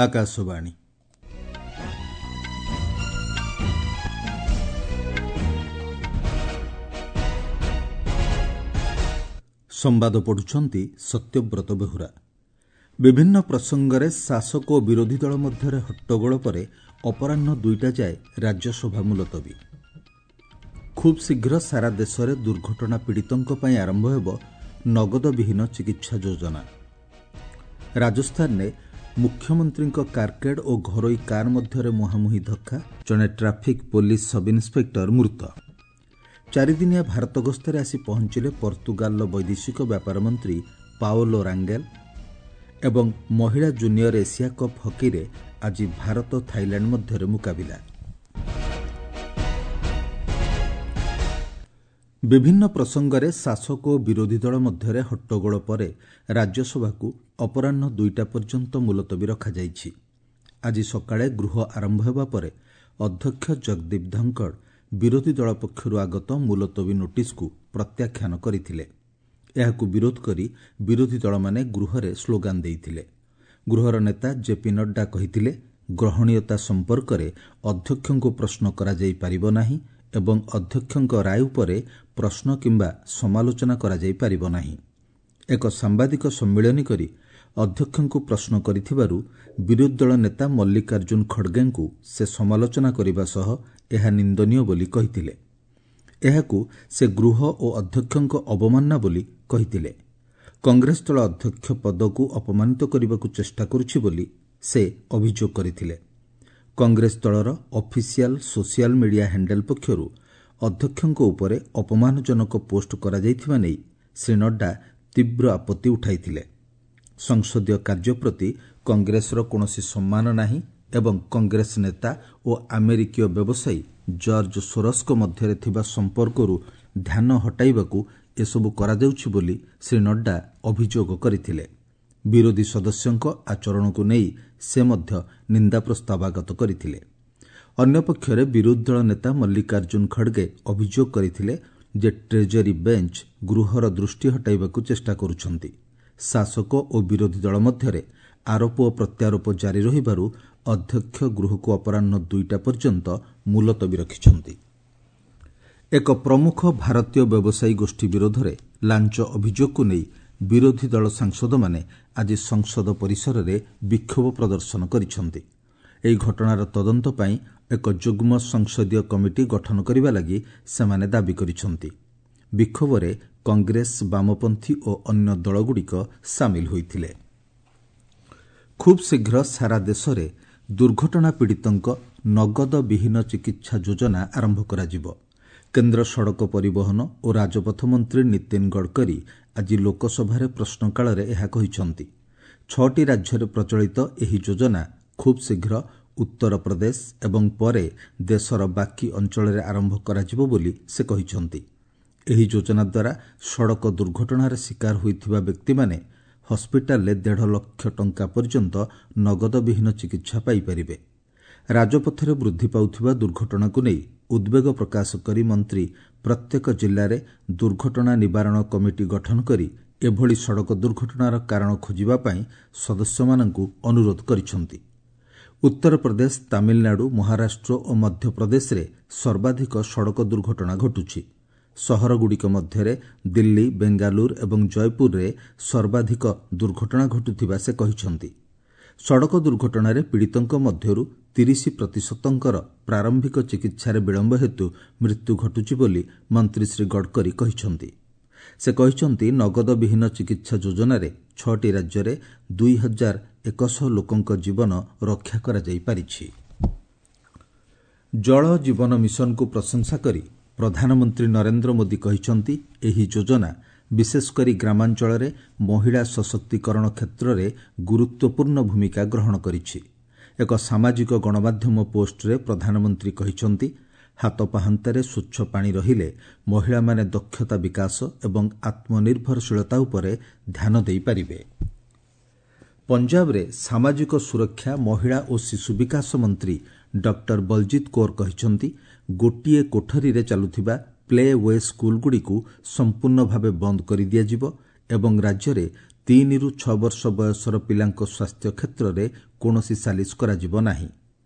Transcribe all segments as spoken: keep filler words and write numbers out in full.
ଆକାଶବାଣୀ। ସମ୍ବାଦ ପଢୁଛନ୍ତି ସତ୍ୟବ୍ରତ ବେହୁରା। ବିଭିନ୍ନ ପ୍ରସଙ୍ଗରେ ଶାସକ ଓ ବିରୋଧୀ ଦଳ ମଧ୍ୟରେ ହଟ୍ଟଗୋଳ ପରେ ଅପରାହ୍ନ ଦୁଇଟା ଯାଏ ରାଜ୍ୟସଭା ମୁଲତବୀ। ଖୁବ୍ ଶୀଘ୍ର ସାରା ଦେଶରେ ଦୁର୍ଘଟଣା ପୀଡ଼ିତଙ୍କ ପାଇଁ ଆରମ୍ଭ ହେବ ନଗଦବିହୀନ ଚିକିତ୍ସା ଯୋଜନା। ରାଜସ୍ଥାନରେ ମୁଖ୍ୟମନ୍ତ୍ରୀଙ୍କ କାରକେଡ୍ ଓ ଘରୋଇ କାର୍ ମଧ୍ୟରେ ମୁହାଁମୁହିଁ ଧକ୍କା, ଜଣେ ଟ୍ରାଫିକ୍ ପୋଲିସ ସବ୍ଇନ୍ସପେକ୍ଟର ମୃତ। ଚାରିଦିନିଆ ଭାରତ ଗସ୍ତରେ ଆସି ପହଞ୍ଚିଲେ ପର୍ତ୍ତୁଗାଲର ବୈଦେଶିକ ବ୍ୟାପାର ମନ୍ତ୍ରୀ ପାଓଲୋ ରାଙ୍ଗେଲ। ଏବଂ ମହିଳା ଜୁନିୟର ଏସିଆ କପ୍ ହକିରେ ଆଜି ଭାରତ ଥାଇଲାଣ୍ଡ ମଧ୍ୟରେ ମୁକାବିଲା। ବିଭିନ୍ନ ପ୍ରସଙ୍ଗରେ ଶାସକ ଓ ବିରୋଧୀ ଦଳ ମଧ୍ୟରେ ହଟ୍ଟଗୋଳ ପରେ ରାଜ୍ୟସଭାକୁ ଅପରାହ୍ନ ଦୁଇଟା ପର୍ଯ୍ୟନ୍ତ ମୁଲତବୀ ରଖାଯାଇଛି। ଆଜି ସକାଳେ ଗୃହ ଆରମ୍ଭ ହେବା ପରେ ଅଧ୍ୟକ୍ଷ ଜଗଦୀପ ଧନଖଡ଼ ବିରୋଧୀ ଦଳ ପକ୍ଷରୁ ଆଗତ ମୁଲତବୀ ନୋଟିସ୍କୁ ପ୍ରତ୍ୟାଖ୍ୟାନ କରିଥିଲେ। ଏହାକୁ ବିରୋଧ କରି ବିରୋଧୀ ଦଳମାନେ ଗୃହରେ ସ୍ଲୋଗାନ ଦେଇଥିଲେ। ଗୃହର ନେତା ଜେପି ନଡ୍ଡା କହିଥିଲେ, ଗ୍ରହଣୀୟତା ସମ୍ପର୍କରେ ଅଧ୍ୟକ୍ଷଙ୍କୁ ପ୍ରଶ୍ନ କରାଯାଇପାରିବ ନାହିଁ ଏବଂ ଅଧ୍ୟକ୍ଷଙ୍କ ରାୟ ଉପରେ ପ୍ରଶ୍ନ କିମ୍ବା ସମାଲୋଚନା କରାଯାଇପାରିବ ନାହିଁ। ଏକ ସାମ୍ବାଦିକ ସମ୍ମିଳନୀ କରି ଅଧ୍ୟକ୍ଷଙ୍କୁ ପ୍ରଶ୍ନ କରିଥିବାରୁ ବିରୋଧୀ ଦଳ ନେତା ମଲ୍ଲିକାର୍ଜୁନ ଖଡ଼ଗେଙ୍କୁ ସେ ସମାଲୋଚନା କରିବା ସହ ଏହା ନିନ୍ଦନୀୟ ବୋଲି କହିଥିଲେ। ଏହାକୁ ସେ ଗୃହ ଓ ଅଧ୍ୟକ୍ଷଙ୍କ ଅବମାନନା ବୋଲି କହିଥିଲେ। କଂଗ୍ରେସ ଦଳ ଅଧ୍ୟକ୍ଷ ପଦକୁ ଅପମାନିତ କରିବାକୁ ଚେଷ୍ଟା କରୁଛି ବୋଲି ସେ ଅଭିଯୋଗ କରିଥିଲେ। କଂଗ୍ରେସ ଦଳର ଅଫିସିଆଲ ସୋସିଆଲ ମିଡିଆ ହ୍ୟାଣ୍ଡେଲ ପକ୍ଷରୁ ଅଧ୍ୟକ୍ଷଙ୍କ ଉପରେ ଅପମାନଜନକ ପୋଷ୍ଟ କରାଯାଇଥିବା ନେଇ ଶ୍ରୀ ନଡ୍ଡା ତୀବ୍ର ଆପତ୍ତି ଉଠାଇଥିଲେ। ସଂସଦୀୟ କାର୍ଯ୍ୟ ପ୍ରତି କଂଗ୍ରେସର କୌଣସି ସମ୍ମାନ ନାହିଁ ଏବଂ କଂଗ୍ରେସ ନେତା ଓ ଆମେରିକୀୟ ବ୍ୟବସାୟୀ ଜର୍ଜ ସୋରସଙ୍କ ମଧ୍ୟରେ ଥିବା ସମ୍ପର୍କରୁ ଧ୍ୟାନ ହଟାଇବାକୁ ଏସବୁ କରାଯାଉଛି ବୋଲି ଶ୍ରୀ ନଡ୍ଡା ଅଭିଯୋଗ କରିଥିଲେ। ବିରୋଧୀ ସଦସ୍ୟଙ୍କ ଆଚରଣକୁ ନେଇ ସେ ମଧ୍ୟ ନିନ୍ଦା ପ୍ରସ୍ତାବ ଆଗତ କରିଥିଲେ। ଅନ୍ୟପକ୍ଷରେ ବିରୋଧୀ ଦଳ ନେତା ମଲ୍ଲିକାର୍ଜୁନ ଖଡ଼ଗେ ଅଭିଯୋଗ କରିଥିଲେ ଯେ ଟ୍ରେଜେରୀ ବେଞ୍ଚ ଗୃହର ଦୃଷ୍ଟି ହଟାଇବାକୁ ଚେଷ୍ଟା କରୁଛନ୍ତି। ଶାସକ ଓ ବିରୋଧୀ ଦଳ ମଧ୍ୟରେ ଆରୋପ ଓ ପ୍ରତ୍ୟାରୋପ ଜାରି ରହିବାରୁ ଅଧ୍ୟକ୍ଷ ଗୃହକୁ ଅପରାହ୍ନ ଦୁଇଟା ପର୍ଯ୍ୟନ୍ତ ମୁଲତବୀ ରଖିଛନ୍ତି। ଏକ ପ୍ରମୁଖ ଭାରତୀୟ ବ୍ୟବସାୟୀ ଗୋଷ୍ଠୀ ବିରୋଧରେ ଲାଞ୍ଚ ଅଭିଯୋଗକୁ ନେଇ ବିରୋଧୀ ଦଳ ସାଂସଦମାନେ ଆଜି ସଂସଦ ପରିସରରେ ବିକ୍ଷୋଭ ପ୍ରଦର୍ଶନ କରିଛନ୍ତି। ଏହି ଘଟଣାର ତଦନ୍ତ ପାଇଁ ଏକ ଯୁଗ୍ମ ସଂସଦୀୟ କମିଟି ଗଠନ କରିବା ଲାଗି ସେମାନେ ଦାବି କରିଛନ୍ତି। ବିକ୍ଷୋଭରେ କଂଗ୍ରେସ, ବାମପନ୍ଥୀ ଓ ଅନ୍ୟ ଦଳଗୁଡ଼ିକ ସାମିଲ ହୋଇଥିଲେ। ଖୁବ୍ ଶୀଘ୍ର ସାରା ଦେଶରେ ଦୁର୍ଘଟଣା ପୀଡ଼ିତଙ୍କ ନଗଦବିହୀନ ଚିକିତ୍ସା ଯୋଜନା ଆରମ୍ଭ କରାଯିବ। କେନ୍ଦ୍ର ସଡ଼କ ପରିବହନ ଓ ରାଜପଥ ମନ୍ତ୍ରୀ ନୀତିନ ଗଡ଼କରୀ ଆଜି ଲୋକସଭାରେ ପ୍ରଶ୍ନକାଳରେ ଏହା କହିଛନ୍ତି। ଛଅଟି ରାଜ୍ୟରେ ପ୍ରଚଳିତ ଏହି ଯୋଜନା ଖୁବ୍ ଶୀଘ୍ର ଉତ୍ତରପ୍ରଦେଶ ଏବଂ ପରେ ଦେଶର ବାକି ଅଞ୍ଚଳରେ ଆରମ୍ଭ କରାଯିବ ବୋଲି ସେ କହିଛନ୍ତି। ଏହି ଯୋଜନା ଦ୍ୱାରା ସଡ଼କ ଦୁର୍ଘଟଣାର ଶିକାର ହୋଇଥିବା ବ୍ୟକ୍ତିମାନେ ହସ୍ପିଟାଲରେ ଦେଢ଼ ଲକ୍ଷ ଟଙ୍କା ପର୍ଯ୍ୟନ୍ତ ନଗଦବିହୀନ ଚିକିତ୍ସା ପାଇପାରିବେ। ରାଜପଥରେ ବୃଦ୍ଧି ପାଉଥିବା ଦୁର୍ଘଟଣାକୁ ନେଇ ଉଦ୍ବେଗ ପ୍ରକାଶ କରି ମନ୍ତ୍ରୀ ପ୍ରତ୍ୟେକ ଜିଲ୍ଲାରେ ଦୁର୍ଘଟଣା ନିବାରଣ କମିଟି ଗଠନ କରି ଏଭଳି ସଡ଼କ ଦୁର୍ଘଟଣାର କାରଣ ଖୋଜିବା ପାଇଁ ସଦସ୍ୟମାନଙ୍କୁ ଅନୁରୋଧ କରିଛନ୍ତି। ଉତ୍ତରପ୍ରଦେଶ, ତାମିଲନାଡୁ, ମହାରାଷ୍ଟ୍ର ଓ ମଧ୍ୟପ୍ରଦେଶରେ ସର୍ବାଧିକ ସଡ଼କ ଦୁର୍ଘଟଣା ଘଟୁଛି। ସହରଗୁଡ଼ିକ ମଧ୍ୟରେ ଦିଲ୍ଲୀ, ବେଙ୍ଗାଲୁରୁ ଏବଂ ଜୟପୁରରେ ସର୍ବାଧିକ ଦୁର୍ଘଟଣା ଘଟୁଥିବା ସେ କହିଛନ୍ତି। ସଡ଼କ ଦୁର୍ଘଟଣାରେ ପୀଡ଼ିତଙ୍କ ମଧ୍ୟରୁ ତିରିଶ ପ୍ରତିଶତଙ୍କର ପ୍ରାରମ୍ଭିକ ଚିକିତ୍ସାରେ ବିଳମ୍ବ ହେତୁ ମୃତ୍ୟୁ ଘଟୁଛି ବୋଲି ମନ୍ତ୍ରୀ ଶ୍ରୀ ଗଡ଼କରୀ କହିଛନ୍ତି। ସେ କହିଛନ୍ତି, ନଗଦବିହୀନ ଚିକିତ୍ସା ଯୋଜନାରେ ଛଅଟି ରାଜ୍ୟରେ ଦୁଇ ହଜାର ଏକଶହ ଲୋକଙ୍କ ଜୀବନ ରକ୍ଷା କରାଯାଇପାରିଛି। ଜଳ ଜୀବନ ମିଶନକୁ ପ୍ରଶଂସା କରି ପ୍ରଧାନମନ୍ତ୍ରୀ ନରେନ୍ଦ୍ର ମୋଦି କହିଛନ୍ତି, ଏହି ଯୋଜନା ବିଶେଷକରି ଗ୍ରାମାଞ୍ଚଳରେ ମହିଳା ସଶକ୍ତିକରଣ କ୍ଷେତ୍ରରେ ଗୁରୁତ୍ୱପୂର୍ଣ୍ଣ ଭୂମିକା ଗ୍ରହଣ କରିଛି। ଏକ ସାମାଜିକ ଗଣମାଧ୍ୟମ ପୋଷ୍ଟରେ ପ୍ରଧାନମନ୍ତ୍ରୀ କହିଛନ୍ତି, ହାତ ପାହାନ୍ତାରେ ସ୍ୱଚ୍ଛ ପାଣି ରହିଲେ ମହିଳାମାନେ ଦକ୍ଷତା ବିକାଶ ଏବଂ ଆତ୍ମନିର୍ଭରଶୀଳତା ଉପରେ ଧ୍ୟାନ ଦେଇପାରିବେ। ପଞ୍ଜାବରେ ସାମାଜିକ ସୁରକ୍ଷା, ମହିଳା ଓ ଶିଶୁ ବିକାଶ ମନ୍ତ୍ରୀ ଡକ୍ଟର ବଲଜିତ କୌର କହିଛନ୍ତି, ଗୋଟିଏ କୋଠରୀରେ ଚାଲୁଥିବା ପ୍ଲେ we ସ୍କୁଲଗୁଡ଼ିକୁ ସମ୍ପୂର୍ଣ୍ଣ ଭାବେ ବନ୍ଦ କରିଦିଆଯିବ ଏବଂ ରାଜ୍ୟରେ ତିନିରୁ ଛଅ ବର୍ଷ ବୟସର ପିଲାଙ୍କ ସ୍ୱାସ୍ଥ୍ୟ କ୍ଷେତ୍ରରେ କୌଣସି ସାଲିସ କରାଯିବ ନାହିଁ।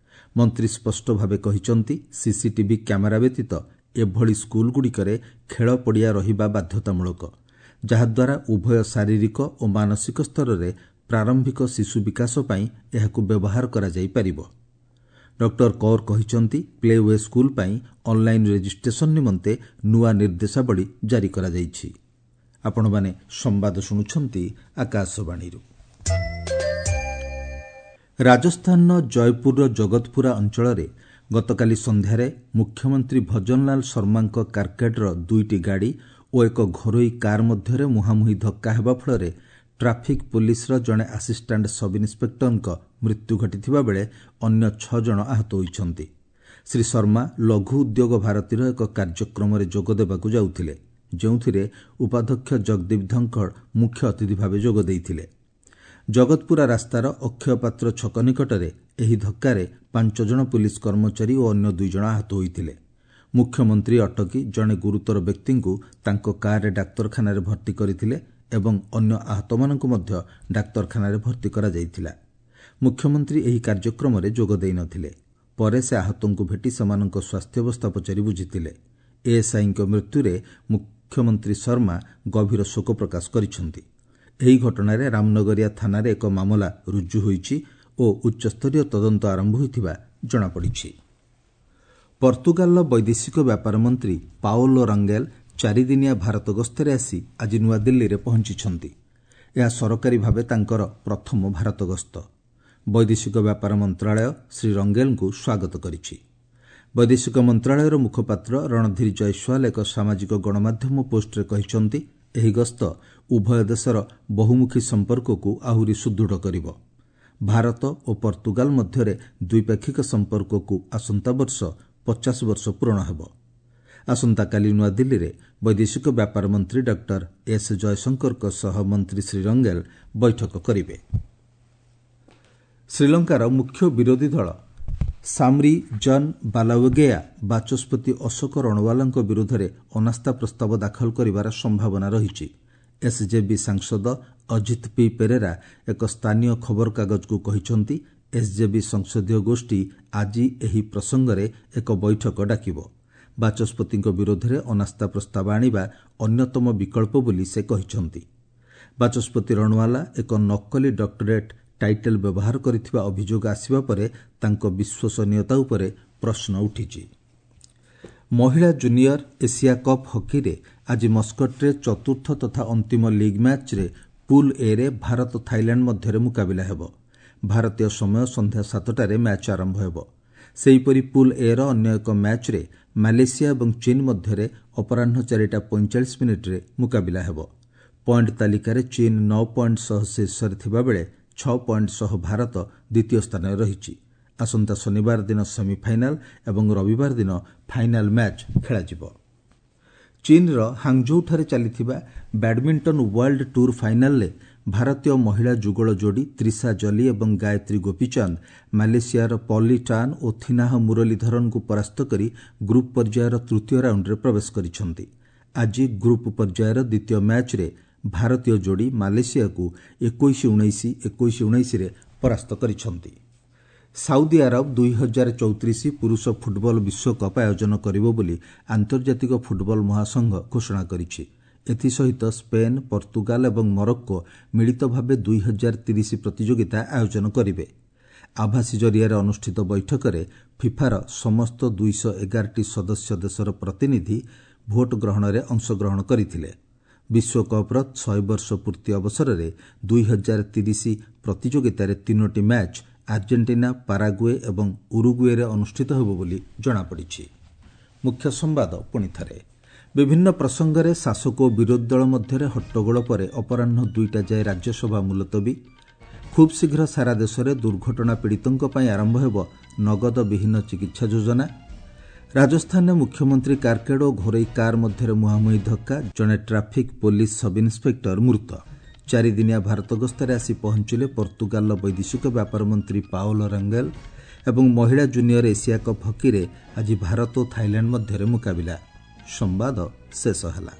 ମନ୍ତ୍ରୀ ସ୍ପଷ୍ଟ ଭାବେ କହିଛନ୍ତି, ସିସିଟିଭି କ୍ୟାମେରା ବ୍ୟତୀତ ଏଭଳି ସ୍କୁଲଗୁଡ଼ିକରେ ଖେଳ ପଡ଼ିଆ ରହିବା ବାଧ୍ୟତାମୂଳକ, ଯାହାଦ୍ୱାରା ଉଭୟ ଶାରୀରିକ ଓ ମାନସିକ ସ୍ତରରେ ପ୍ରାରମ୍ଭିକ ଶିଶୁ ବିକାଶ ପାଇଁ ଏହାକୁ ବ୍ୟବହାର କରାଯାଇପାରିବ। ଡକ୍ଟର କୌର କହିଛନ୍ତି, ପ୍ଲେ we school ପାଇଁ ଅନ୍ଲାଇନ୍ ରେଜିଷ୍ଟ୍ରେସନ ନିମନ୍ତେ ନୂଆ ନିର୍ଦ୍ଦେଶାବଳୀ ଜାରି କରାଯାଇଛି। ଆପଣମାନେ ସମ୍ବାଦ ଶୁଣୁଛନ୍ତି ଆକାଶବାଣୀରୁ। ରାଜସ୍ଥାନର ଜୟପୁରର ଜଗତପୁରା ଅଞ୍ଚଳରେ ଗତକାଲି ସନ୍ଧ୍ୟାରେ ମୁଖ୍ୟମନ୍ତ୍ରୀ ଭଜନଲାଲ ଶର୍ମାଙ୍କ କାର୍କେଡ୍ର ଦୁଇଟି ଗାଡ଼ି ଓ ଏକ ଘରୋଇ କାର୍ ମଧ୍ୟରେ ମୁହାଁମୁହିଁ ଧକ୍କା ହେବା ଫଳରେ ଟ୍ରାଫିକ୍ ପୋଲିସର ଜଣେ ଆସିଷ୍ଟାଣ୍ଟ ସବ୍ ଇନ୍ସପେକ୍ଟରଙ୍କ ମୃତ୍ୟୁ ଘଟିଥିବା ବେଳେ ଅନ୍ୟ ଛଅ ଜଣ ଆହତ ହୋଇଛନ୍ତି। ଶ୍ରୀ ଶର୍ମା ଲଘୁ ଉଦ୍ୟୋଗ ଭାରତୀର ଏକ କାର୍ଯ୍ୟକ୍ରମରେ ଯୋଗ ଦେବାକୁ ଯାଉଥିଲେ, ଯେଉଁଥିରେ ଉପାଧ୍ୟକ୍ଷ ଜଗଦୀପ ଧନଖଡ଼ ମୁଖ୍ୟ ଅତିଥି ଭାବେ ଯୋଗ ଦେଇଥିଲେ। ଜଗତପୁରା ରାସ୍ତାର ଅକ୍ଷୟ ପାତ୍ର ଛକ ନିକଟରେ ଏହି ଧକ୍କାରେ ପାଞ୍ଚ ଜଣ ପୁଲିସ କର୍ମଚାରୀ ଓ ଅନ୍ୟ ଦୁଇ ଜଣ ଆହତ ହୋଇଥିଲେ। ମୁଖ୍ୟମନ୍ତ୍ରୀ ଅଟକି ଜଣେ ଗୁରୁତର ବ୍ୟକ୍ତିଙ୍କୁ ତାଙ୍କ କାର୍ରେ ଡାକ୍ତରଖାନାରେ ଭର୍ତ୍ତି କରିଥିଲେ ଏବଂ ଅନ୍ୟ ଆହତମାନଙ୍କୁ ମଧ୍ୟ ଡାକ୍ତରଖାନାରେ ଭର୍ତ୍ତି କରାଯାଇଥିଲା। ମୁଖ୍ୟମନ୍ତ୍ରୀ ଏହି କାର୍ଯ୍ୟକ୍ରମରେ ଯୋଗ ଦେଇନଥିଲେ। ପରେ ସେ ଆହତଙ୍କୁ ଭେଟି ସେମାନଙ୍କ ସ୍ୱାସ୍ଥ୍ୟାବସ୍ଥା ପଚାରି ବୁଝିଥିଲେ। ଏଏସ୍ଆଇଙ୍କ ମୃତ୍ୟୁରେ ମୁଖ୍ୟମନ୍ତ୍ରୀ ଶର୍ମା ଗଭୀର ଶୋକ ପ୍ରକାଶ କରିଛନ୍ତି। ଏହି ଘଟଣାରେ ରାମନଗରିଆ ଥାନାରେ ଏକ ମାମଲା ରୁଜୁ ହୋଇଛି ଓ ଉଚ୍ଚସ୍ତରୀୟ ତଦନ୍ତ ଆରମ୍ଭ ହୋଇଥିବା ଜଣାପଡ଼ିଛି। ପର୍ତ୍ତୁଗାଲର ବୈଦେଶିକ ବ୍ୟାପାର ମନ୍ତ୍ରୀ ପାଓଲୋ ରଙ୍ଗେଲ ଚାରିଦିନିଆ ଭାରତ ଗସ୍ତରେ ଆସି ଆଜି ନୂଆଦିଲ୍ଲୀରେ ପହଞ୍ଚିଛନ୍ତି। ଏହା ସରକାରୀ ଭାବେ ତାଙ୍କର ପ୍ରଥମ ଭାରତ ଗସ୍ତ। ବୈଦେଶିକ ବ୍ୟାପାର ମନ୍ତ୍ରଣାଳୟ ଶ୍ରୀ ରଙ୍ଗେଲଙ୍କୁ ସ୍ୱାଗତ କରିଛି। ବୈଦେଶିକ ମନ୍ତ୍ରଣାଳୟର ମୁଖପାତ୍ର ରଣଧୀର ଜୟସ୍ୱାଲ ଏକ ସାମାଜିକ ଗଣମାଧ୍ୟମ ପୋଷ୍ଟରେ କହିଛନ୍ତି, ଏହି ଗସ୍ତ ଉଭୟ ଦେଶର ବହୁମୁଖୀ ସମ୍ପର୍କକୁ ଆହୁରି ସୁଦୃଢ଼ କରିବ। ଭାରତ ଓ ପର୍ତ୍ତୁଗାଲ ମଧ୍ୟରେ ଦ୍ୱିପାକ୍ଷିକ ସମ୍ପର୍କକୁ ଆସନ୍ତା ବର୍ଷ ପଚାଶ ବର୍ଷ ପୂରଣ ହେବ। ଆସନ୍ତାକାଲି ନୂଆଦିଲ୍ଲୀରେ ବୈଦେଶିକ ବ୍ୟାପାର ମନ୍ତ୍ରୀ ଡକ୍ଟର ଏସ୍ ଜୟଶଙ୍କରଙ୍କ ସହ ମନ୍ତ୍ରୀ ଶ୍ରୀ ରଙ୍ଗେଲ ବୈଠକ କରିବେ। ଶ୍ରୀଲଙ୍କାର ମୁଖ୍ୟ ବିରୋଧୀ ଦଳ ସାମରି ଜନ୍ ବାଲାୱେଗେୟା ବାଚସ୍ପତି ଅଶୋକ ରଣୱାଲାଙ୍କ ବିରୋଧରେ ଅନାସ୍ଥା ପ୍ରସ୍ତାବ ଦାଖଲ କରିବାର ସମ୍ଭାବନା ରହିଛି। ଏସ୍ଜେବି ସାଂସଦ ଅଜିତ ପି ପେରେରା ଏକ ସ୍ଥାନୀୟ ଖବରକାଗଜକୁ କହିଛନ୍ତି, ଏସ୍ଜେବି ସଂସଦୀୟ ଗୋଷ୍ଠୀ ଆଜି ଏହି ପ୍ରସଙ୍ଗରେ ଏକ ବୈଠକ ଡାକିବ। ବାଚସ୍ପତିଙ୍କ ବିରୋଧରେ ଅନାସ୍ଥା ପ୍ରସ୍ତାବ ଆଣିବା ଅନ୍ୟତମ ବିକଳ୍ପ ବୋଲି ସେ କହିଛନ୍ତି। ବାଚସ୍ପତି ରଣୱାଲା ଏକ ନକଲି ଡକ୍ଟରେଟ୍ ଟାଇଟେଲ୍ ବ୍ୟବହାର କରିଥିବା ଅଭିଯୋଗ ଆସିବା ପରେ ତାଙ୍କ ବିଶ୍ୱସନୀୟତା ଉପରେ ପ୍ରଶ୍ନ ଉଠିଛି। ମହିଳା ଜୁନିୟର ଏସିଆ କପ୍ ହକିରେ ଆଜି ମସ୍କଟରେ ଚତୁର୍ଥ ତଥା ଅନ୍ତିମ ଲିଗ୍ ମ୍ୟାଚ୍ରେ ପୁଲ୍ ଏରେ ଭାରତ ଥାଇଲାଣ୍ଡ ମଧ୍ୟରେ ମୁକାବିଲା ହେବ। ଭାରତୀୟ ସମୟ ସନ୍ଧ୍ୟା ସାତଟାରେ ମ୍ୟାଚ୍ ଆରମ୍ଭ ହେବ। ସେହିପରି ପୁଲ୍ ଏର ଅନ୍ୟ ଏକ ମ୍ୟାଚ୍ରେ ମାଲେସିଆ ଏବଂ ଚୀନ୍ ମଧ୍ୟରେ ଅପରାହ୍ନ ଚାରିଟା ପଇଁଚାଳିଶ ମିନିଟ୍ରେ ମୁକାବିଲା ହେବ। ପଏଣ୍ଟ ତାଲିକାରେ ଚୀନ୍ ନଅ ପଏଣ୍ଟ ସହ ଶୀର୍ଷରେ ଥିବାବେଳେ ଛଅ ପଏଣ୍ଟ ସହ ଭାରତ ଦ୍ୱିତୀୟ ସ୍ଥାନରେ ରହିଛି। ଆସନ୍ତା ଶନିବାର ଦିନ ସେମିଫାଇନାଲ ଏବଂ ରବିବାର ଦିନ ଫାଇନାଲ ମ୍ୟାଚ୍ ଖେଳାଯିବ। ଚୀନ୍ର ହାଙ୍ଗଝୌଠାରେ ଚାଲିଥିବା ବ୍ୟାଡମିଣ୍ଟନ ୱାର୍ଲଡ ଟୁର୍ ଫାଇନାଲରେ ଭାରତୀୟ ମହିଳା ଯୁଗଳ ଯୋଡ଼ି ତ୍ରିଷା ଜଲି ଏବଂ ଗାୟତ୍ରୀ ଗୋପୀଚାନ୍ଦ ମାଲେସିଆର ପଲି ଟାନ୍ ଓ ଥିନାହ ମୁରଲୀଧରନଙ୍କୁ ପରାସ୍ତ କରି ଗ୍ରୁପ୍ ପର୍ଯ୍ୟାୟର ତୃତୀୟ ରାଉଣ୍ଡରେ ପ୍ରବେଶ କରିଛନ୍ତି। ଆଜି ଗ୍ରୁପ୍ ପର୍ଯ୍ୟାୟର ଦ୍ୱିତୀୟ ମ୍ୟାଚ୍ରେ ଭାରତୀୟ ଯୋଡ଼ି ମାଲେସିଆକୁ ଏକୋଇଶ ଉଣେଇଶ, ଏକୋଇଶ ଉଣେଇଶରେ ପରାସ୍ତ କରିଛନ୍ତି। ସାଉଦି ଆରବ ଦୁଇ ହଜାର ଚଉତିରିଶ ପୁରୁଷ ଫୁଟବଲ ବିଶ୍ୱକପ୍ ଆୟୋଜନ କରିବ ବୋଲି ଆନ୍ତର୍ଜାତିକ ଫୁଟବଲ ମହାସଂଘ ଘୋଷଣା କରିଛି। ଏଥିସହିତ ସ୍ପେନ୍, ପର୍ତ୍ତୁଗାଲ ଏବଂ ମରକ୍କୋ ମିଳିତ ଭାବେ ଦୁଇ ହଜାର ତିରିଶ ପ୍ରତିଯୋଗିତା ଆୟୋଜନ କରିବେ। ଆଭାସୀ ଜରିଆରେ ଅନୁଷ୍ଠିତ ବୈଠକରେ ଫିଫାର ସମସ୍ତ ଦୁଇଶହ ଏଗାରଟି ସଦସ୍ୟ ଦେଶର ପ୍ରତିନିଧି ଭୋଟ ଗ୍ରହଣରେ ଅଂଶଗ୍ରହଣ କରିଥିଲେ। ବିଶ୍ୱକପ୍ର ଶହେ ବର୍ଷ ପୂର୍ତ୍ତି ଅବସରରେ ଦୁଇ ହଜାର ତିରିଶ ପ୍ରତିଯୋଗିତାରେ ତିନୋଟି ମ୍ୟାଚ୍ ଆର୍ଜେଣ୍ଟିନା, ପାରାଗୁଏ ଏବଂ ଉରୁଗୁଏରେ ଅନୁଷ୍ଠିତ ହେବ ବୋଲି ଜଣାପଡ଼ିଛି। ମୁଖ୍ୟ ସମ୍ବାଦ ପୁଣିଥରେ। ବିଭିନ୍ନ ପ୍ରସଙ୍ଗରେ ଶାସକ ଓ ବିରୋଧୀ ଦଳ ମଧ୍ୟରେ ହଟ୍ଟଗୋଳ ପରେ ଅପରାହ୍ନ ଦୁଇଟା ଯାଏ ରାଜ୍ୟସଭା ମୁଲତବୀ। ଖୁବ୍ ଶୀଘ୍ର ସାରା ଦେଶରେ ଦୁର୍ଘଟଣା ପୀଡ଼ିତଙ୍କ ପାଇଁ ଆରମ୍ଭ ହେବ ନଗଦ ବିହୀନ ଚିକିତ୍ସା ଯୋଜନା। ରାଜସ୍ଥାନରେ ମୁଖ୍ୟମନ୍ତ୍ରୀ କାର୍କେଡ୍ ଓ ଘରୋଇ କାର୍ ମଧ୍ୟରେ ମୁହାଁମୁହିଁ ଧକ୍କା, ଜଣେ ଟ୍ରାଫିକ୍ ପୋଲିସ ସବ୍ ଇନ୍ସପେକ୍ଟର ମୃତ। ଚାରିଦିନିଆ ଭାରତ ଗସ୍ତରେ ଆସି ପହଞ୍ଚିଲେ ପର୍ତ୍ତୁଗାଲର ବୈଦେଶିକ ବ୍ୟାପାର ମନ୍ତ୍ରୀ ପାଓଲୋ ରଙ୍ଗେଲ। ଏବଂ ମହିଳା ଜୁନିୟର ଏସିଆ କପ୍ ହକିରେ ଆଜି ଭାରତ ଓ ଥାଇଲାଣ୍ଡ ମଧ୍ୟରେ ମୁକାବିଲା। ସମ୍ବାଦ ଶେଷ ହେଲା।